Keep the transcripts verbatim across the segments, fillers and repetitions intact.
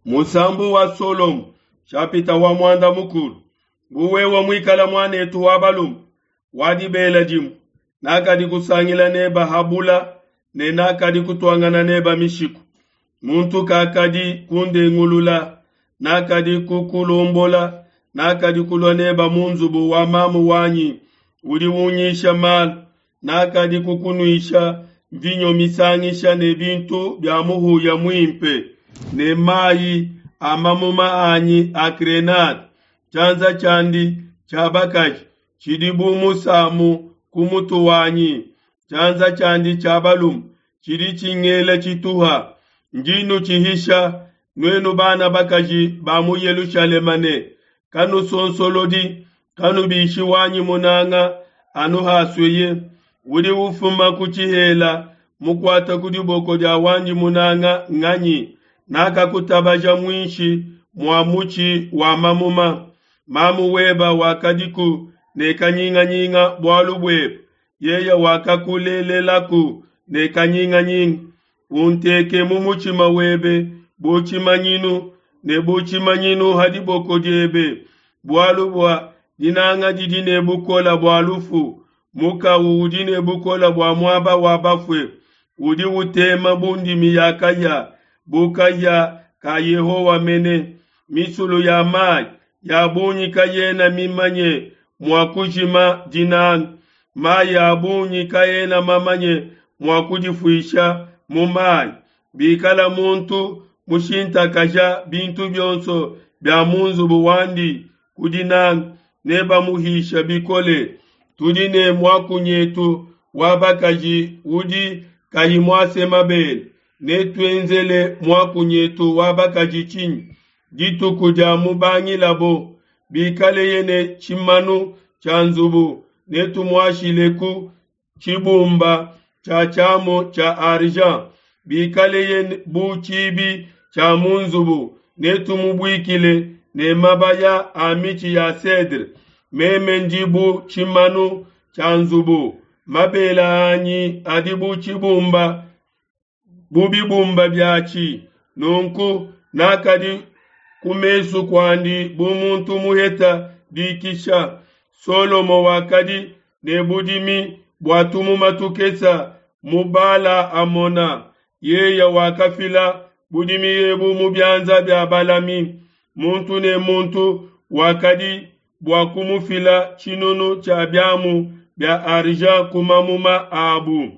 Musambu wa Solomo nshapita wa muanda mukulu. Bu wewe muikala muanetu wa balume wa dibela dimue, nakadi kusangila neba ha bula ne nakadi kutuangana neba mishiku. Muntu kakadi kundengulula, nakadi kukulombola, nakadi kulua neba mu nzubu wa mamu wanyi udi unyisha malu, nakadi kukunuisha mvinyo misangisha ne bintu bia muhuya muimpe ne mai a mamuma anyi a grenade. Tshianza tshiandi tshia bakaji tshidi bu musamu ku mutu wanyi, tshianza tshiandi tshia balume tshidi tshingela tshituha. Ndi nnutshihisha, nuenu bana bakaji ba mu Yelushalema ne, Kanusonsolodi, kanubishi wanyi munanga anu hasueye. Udi ufuma ku tshihela mukuate ku diboko dia wandi munanga nganyi? Nakakutabaja muinshi mua mutshi wa mamuma. Mamu webe wakadiku ne kanyinganyinga bualu buebe, yeye wakakulelelaku ne kanyinganyinga. Unteke mu mutshima webe bu tshimanyinu, ne bu tshimanyinu ha diboko diebe, bualu bua dinanga didi ne bukole bua lufu, mukawu udi ne bukole bua muaba wa bafue. Udi utema bu ndimi ya kahia, bu kahia ka Yehowa mene. Misulu ya mai ya bungi kayena mimanye mua kujima dinanga, mai a bungi kaena mamanye mua kudifuisha mu mai. Bikala muntu mushintakaja bintu bionso bia mu nzubu wandi ku dinanga, nebamuhishe bikole. Tudi ne muakunyetu wa bakaji udi kayi muase mabele, netuenzele muakunyetu wa bakaji tshinyi dituku dia mubangilabo? Bikaleye ne tshimanu tshia nzubu, netumuashileku tshibumba tshia tshiamu tshia argent. Bikaleye bu tshibi tshia mu nzubu, netumubuikile ne mabaya a mitshi ya cedre. Meme ndi bu tshimanu tshia nzubu, mabele anyi adi bu tshibumba bu bibumba biatshi. Nunku nakadi ku mesu kuandi bu muntu muheta dikisha. Solomo wakadi ne budimi bua tumuma tukese mu Bala-hamona, yeye wakafila budimi ebu mu bianza bia balami. Muntu ne muntu wakadi bua kumufila tshinunu tshia biamu bia argent ku mamuma abu.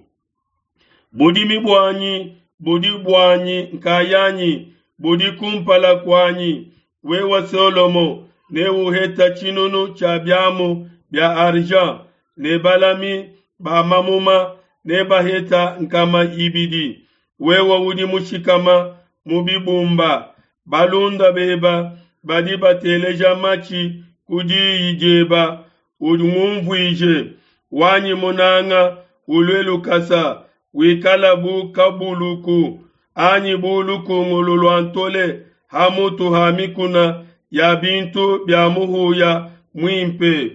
Budimi buanyi budi buanyi nkayanyi, budi ku mpala kuanyi. Wewe Solomo, neuhete tshinunu tshia biamu bia argent, ne balami ba mamuma nebahete nkama ibidi. Wewe udi mushikama mu bibumba, balunda bebe badi bateleja matshi ku diyi diebe. Ungunvuije, wanyi munanga, ulue lukasa, wikala bu kabuluku anyi bu lukungulu lua ntole ha mutu ha mikuna ya bintu bia muhuya muimpe.